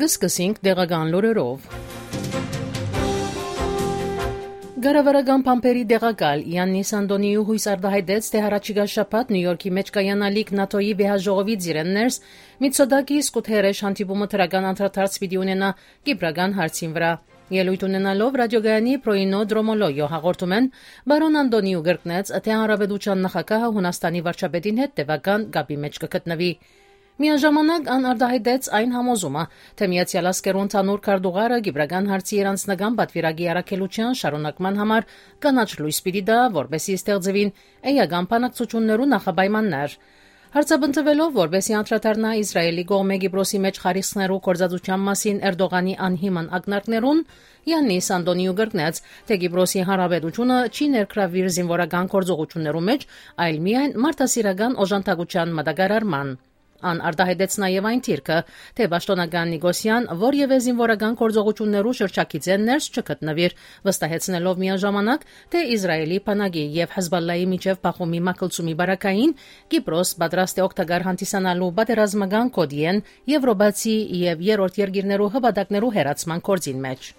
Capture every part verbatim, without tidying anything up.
Սկսենք տեղական լուրերով։ Կառավարական բանբերի տեղակալ Յաննիս Անտոնիու յոյս արտահայտեց, թէ յառաջիկայ շաբաթ Նիու Յորքի մէջ կայանալիք նատօ-ի վեհաժողովի ծիրէն ներս Միցոտակիս Կութերեշ հանդիպումը դրական անդրադարձ պիտի ունենայ կիպրական հարցին վրայ։ Ելոյթ ունենալով ռադիոգայանի Պրոյինո Դրոմոլոյո հաղորդումէն, պարոն Անտոնիու կրկնեց, թէ հանրապետության նախագահը Յունաստանի վարչապետին հետ տեւական կապի մէջ կը գտնուի։ Միաժամանակ ան արտահայտեց այն համոզումը, թէ Միացեալ Ազգերու ընդհանուր քարտուղարը կիպրական հարցի իր անձնական պատվիրակի առաքելութեան շարունակման համար կանաչ լոյս պիտի տայ, որպէսզի ստեղծուին էական բանակցութիւններու նախապայմաններ։ Հարցապնդուելով, որպէսզի անդրադառնայ Իսրայէլի կողմէ Կիպրոսի մէջ խարիսխներու գործածութեան մասին Էրտողանի անհիմն ակնարկներուն, Յաննիս Անտոնիու կրկնեց, թէ Կիպրոսի հանրապետութիւնը չի ներգրաւուիր զինուորական գործողութիւններու մէջ, այլ միայն մարդասիրական օժանդակութեան մատակարարման։ Ան արտահայտեց նաեւ այն դիրքը, թէ պաշտօնական Նիկոսեան որեւէ զինուորական գործողութիւններու շրջագիծէն ներս չգտնուիր, վստահեցնելով միաժամանակ, թէ Իսրայէլի բանակի եւ Հեզբալլայի միջեւ բախումի մագլցումի պարագային Կիպրոս պատրաստ է օգտակար հանդիսանալու պատերազմական գօտիէն Եւրոպացի եւ երրորդ երկիրներու հպատակներու հեռացման գործին մէջ։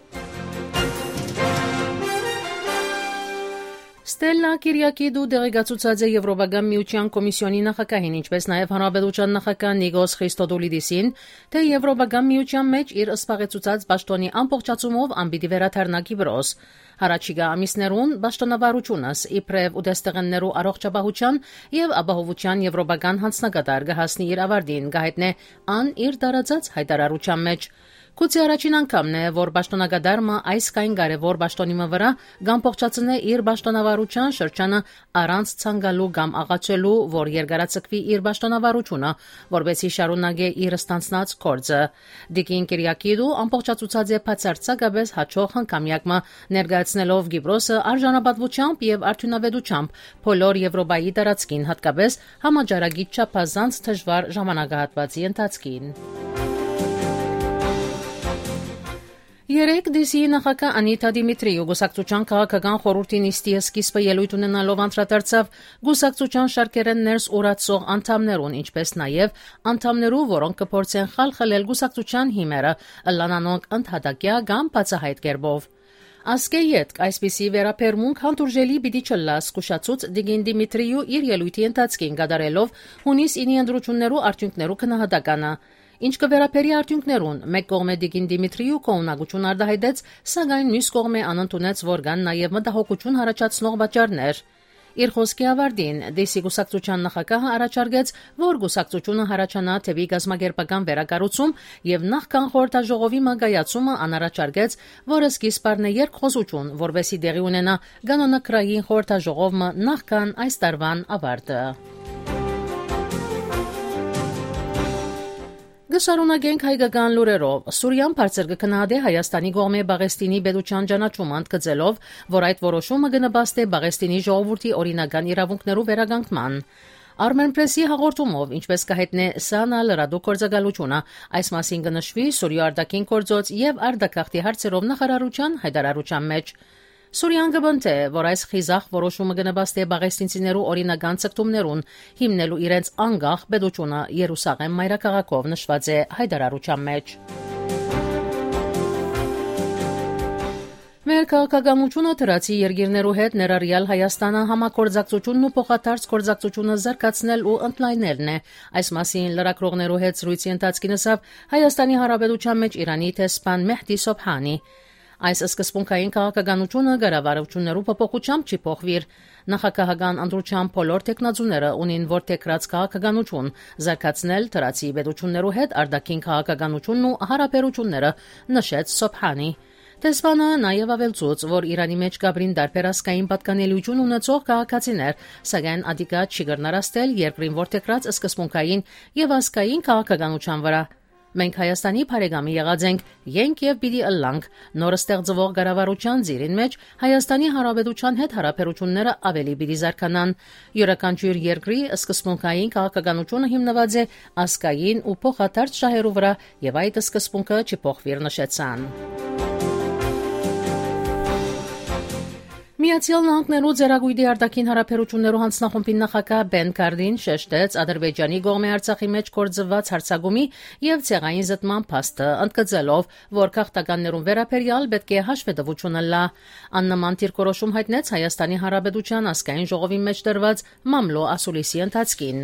Ստելլա Կիրիակիդու տեղեկացուցած է Եվրոպական միութեան կոմիսիոնի նախագահին, ինչպէս նաեւ հանրապետության նախագահ Նիկոս Խրիստոդուլիդիսին, թէ Եվրոպական միութեան մէջ իր զբաղեցուցած պաշտօնի ամբողջացումով ան պիտի վերադառնայ Կիպրոս։ Յառաջիկայ ամիսներուն պաշտոնավարութիւնս իբրեւ ուտեստեղէններու առողջապահութեան եւ ապահովութեան եվրոպական յանձնակատար կը հասնի իր աւարտին, կը հայտնէ ան իր տարածած յայտարարութեան մէջ։ Գուցե առաջին անգամն է, որ պաշտօնակատար մը այս կային կարեւոր պաշտօնի մը վրայ կ'ամբողջացնէ իր պաշտոնավարութեան շրջանը առանց ցանկալու կամ աղաչելու, որ երկարաձգուի իր պաշտոնավարութիւնը, որպէսզի շարունակէ իր ստանձնած գործը։ Տիկին Կիրիակիդու ամբողջացուցած է բացարձակապէս յաջող հնգամեակ մը, ներկայացնելով Կիպրոսը արժանապատվությամբ եւ արդիւնաւետությամբ բոլոր Եվրոպայի տարածքին, յատկապէս համաճարակի չափազանց դժուար ժամանակահատուածի ընթացքին։ Երեկ Դիսիի նախագահ Անիտա Դիմիտրիու կուսակցութեան քաղաքական խորհուրդի նիստի սկիզբը ելոյթ ունենալով անդրադարձաւ կուսակցութեան շարքերէն ներս ուրացող անդամներուն, ինչպէս նաեւ անդամներու, որոնք կը փորձեն խալխլել կուսակցութեան հիմերը, ըլլան անոնք ընդհատակեայ կամ բացահայտ կերպով։ Ասկէ ետք այսպիսի վերաբերմունք հանդուրժելի պիտի չըլլայ, զգուշացուց Տիկին Դիմիտրիու իր ելոյթի ընթացքին, կատարելով յունիս ինի ընտրութիւններու արդիւնքներու գնահատականը։ Ինչ կը վերաբերի արդիւնքներուն, մէկ կողմէ Տիկին Դիմիտրիու գոհունակութիւն արտահայտեց, սակայն միւս կողմէ ան ընդունեց, որ կան նաեւ մտահոգութիւն յառաջացնող պատճառներ։ Իր խօսքի աւարտին Դիսի կուսակցութեան նախագահը առաջարկեց, որ կուսակցութիւնը յառաջանայ դէպի կազմակերպական վերակառուցում եւ նախքան խորհրդաժողովի մը կայացումը ան առաջարկեց, որ սկիզբ առնէ երկխօսութիւն, որպէսզի տեղի ունենայ կանոնագրային խորհրդաժողով մը նախքան այս տարուան աւարտը։ Կը շարունակենք հայկական լուրերով։ Սուրիան բարձր կը գնահատէ Հայաստանի կողմէ Պաղեստինի պետութեան ճանաչումը, ընդգծելով, որ այդ որոշումը կը նպաստէ Պաղեստինի ժողովուրդի օրինական իրաւունքներու վերականգնման։ Արմեն Պրեսի հաղորդումով, ինչպէս կը հայտնէ Սանա լրատու գործակալութիւնը, այս մասին կը նշուի Սուրիոյ արտաքին գործոց եւ արտագաղթի հարցերով նախարարութեան յայտարարութեան մէջ։ Սուրիան կը պնդէ, որ այս խիզախ որոշումը կը նպաստէ պաղեստինցիներու օրինական ձգտումներուն, հիմնելու իրենց անկախ պետութիւնը Երուսաղէմ մայրաքաղաքով, նշուած է յայտարարութեան մէջ։ Մեր քաղաքականութիւնը դրացի երկիրներու հետ, ներառեալ Հայաստանը, համագործակցութիւնն ու փոխադարձ գործակցութիւնը զարգացնել ու ընդլայնելն է։ Այս մասին լրագրողներու հետ զրոյցի ընթացքին ըսաւ Հայաստանի Հանրապետութեան մէջ Իրանի դեսպան Մեհդի Սոբհանի։ Այս սկզբունքային քաղաքականութիւնը կառավարութիւններու փոփոխութեամբ չի փոխուիր։ Նախագահական ընտրութեան բոլոր թեկնածուները ունին որդեգրած քաղաքականութիւն, զարգացնել դրացի պետութիւններու հետ արտաքին քաղաքականութիւնն ու յարաբերութիւնները, նշեց Սոբհանի։ Դեսպանը նաեւ աւելցուց, որ Իրանի մէջ կ'ապրին տարբեր ազգային պատկանելիութիւն ունեցող քաղաքացիներ, սակայն ատիկա չի կրնար ազդել երկրին որդեգրած սկզբունքային եւ ազգային քաղաքականութեան վրայ։ Մենք Հայաստանի բարեկամի եղած ենք, ենք եւ պիտի ըլլանք։ Նոր ստեղծուող կառավարութեան ծիրին մէջ Հայաստանի Հանրապետութեան հետ յարաբերութիւնները աւելի պիտի զարգանան։ Իւրաքանչիւր երկրի սկզբունքային քաղաքականութիւնը հիմնուած է ազգային ու փոխադարձ շահերու վրայ եւ այդ սկզբունքը չի փոխուիր, նշեցան։ Միացյալ Նահանգներու Ծերակոյտի արտաքին հարաբերութիւններու յանձնախումբին նախագահ Պեն Քարդին շեշտեց Ադրբեջանի կողմէ Արցախի մէջ գործուած յարձակումի եւ ցեղային զտման փաստը, ընդգծելով, որ գաղթականներուն վերաբերեալ պէտք է հաշուետվութիւն ըլլայ։ Աննման դիրքորոշում յայտնեց Հայաստանի Հանրապետութեան ազգային ժողովին մէջ տրուած մամլոյ ասուլիսի ընթացքին։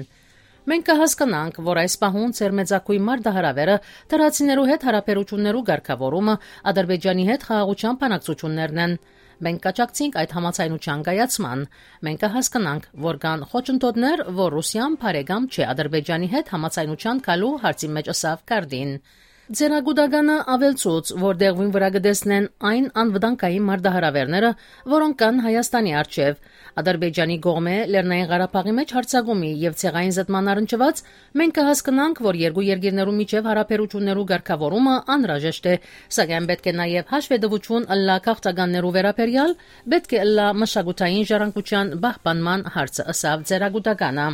«Մենք կը հասկնանք, որ այս պահուն ձեր մեծագոյն մարտահրաւէրը, թրացիներու հետ հարաբերութիւններու կարգաւորումը, Ադրբեջանի հետ խաղաղութեան բանակցութիւններն են։ Մենք կաջակցենք այդ համաձայնութեան կայացման։ Մենք կը հասկնանք, որ կան խոչընդոտներ, որ Ռուսիան բարեկամ չէ Ադրբեջանի հետ համաձայնութեան գալու հարցին մէջ», ըսաւ Քարդին։ Ձեռագուտականը աւելցուց, որ դեղուին վրայ կը տեսնեն այն անվտանգային մարտահրաւէրները, որոնք կան Հայաստանի առջեւ։ Ադրբեջանի կողմէ Լեռնային Ղարաբաղի մէջ յարձակումի եւ ցեղային զտման առնչուած, մենք կը հասկնանք, որ երկու երկիրներու միջեւ հարաբերութիւններու կարգաւորումը անհրաժեշտ է, սակայն պէտք է նաեւ հաշուետվութիւն ըլլայ գաղթականներու վերաբերեալ, պէտք է ըլլայ մշակութային ժառանգութեան պահպանման հարցը, ըսաւ ձեռագուտականը։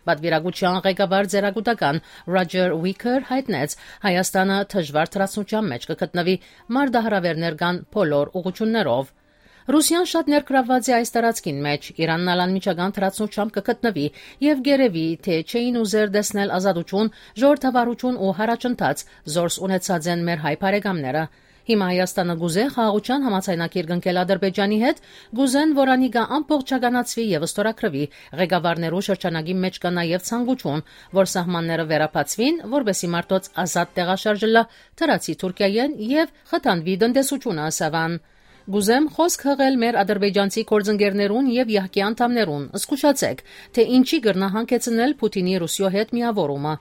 Պատվիրակութեան ղեկավար, ձեռագուտական Ռոջեր Ուիքեր, յայտնեց, Հայաստանը դժուար թրացնութեան մէջ կը գտնուի մարտահրաւէրներ կան բոլոր ուղղութիւններով։ Ռուսիան շատ ներգրաւուած է այս տարածքին մէջ, Իրանն ալ անմիջական թրացնութեամբ կը գտնուի եւ կ'երեւի, թէ չէին ուզեր տեսնել ազատութիւն, ժողովրդավարութիւն ու յառաջընթաց, զորս ունեցած են մեր հայ բարեկամները։ Հիմա Հայաստանը կ'ուզէ խաղաղութեան համաձայնագիր կնքել Ադրբեջանի հետ, կ'ուզեն, որ անիկա ամբողջականացուի եւ ստորագրուի։ Ղեկավարներու շրջանակի մէջ կայ նաեւ ցանկութիւն, որ սահմանները վերաբացուին, որպէսզի մարդոց ազատ տեղաշարժ ըլլայ թրացի Թուրքիայէն եւ խթանուի տնտեսութիւնը, ըսաւ ան։ «Կ'ուզեմ խօսք յղել մեր ադրբեջանցի գործընկերներուն եւ յահկի անդամներուն։ Զգուշացէք, թէ ինչի կրնայ հանգեցնել Փութինի Ռուսիոյ հետ միաւորումը։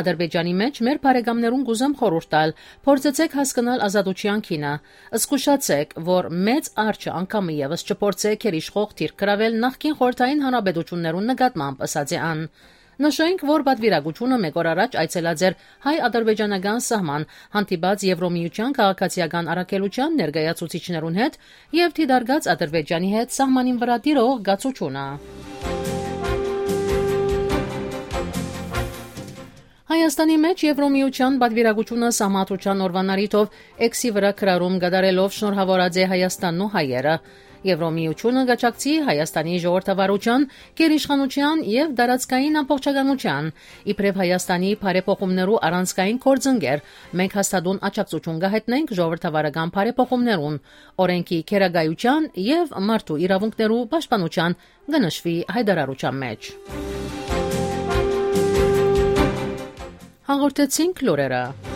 Ադրբեջանի մէջ մեր բարեկամներուն կ'ուզեմ խորհուրդ տալ, փորձեցէք հասկնալ ազատութեան գինը։ Զգուշացէք, որ մեծ արջը անգամը եւս չփորձէ գերիշխող դիրք գրաւել նախկին խորհրդային հանրապետութիւններուն նկատմամբ», ըսած է ան։ Նշենք, որ պատվիրակութիւնը մէկ օր առաջ այցելած էր հայ-ադրբեջանական սահման, հանդիպած Եվրոմիության քաղաքացիական առաքելութեան ներկայացուցիչներուն հետ եւ դիտարկած Ադրբեջանի հետ սահմանին վրայ տիրող կացութիւնը։ Հայաստանի մէջ Եվրոմիության պատվիրակութիւնը Սահմանադրութեան օրուան առիթով X-ի վրայ գրառում կատարելով շնորհաւորած է Հայաստանն ու հայերը։ Եվրոմիությունը կաջակցի Հայաստանի ժողովրդավարութեան, գերիշխանութեան եւ տարածքային ամբողջականութեան։ Իբրեւ Հայաստանի բարեփոխումներու առանցքային գործընկեր, մենք հաստատուն աջակցութիւն կը յայտնենք ժողովրդավարական բարեփոխումներուն, օրէնքի գերակայութեան եւ մարդու իրաւունքներու պաշտպանութեան, կը նշուի յայտարարութեան մէջ։ Հաղորդեցինք լուրերը։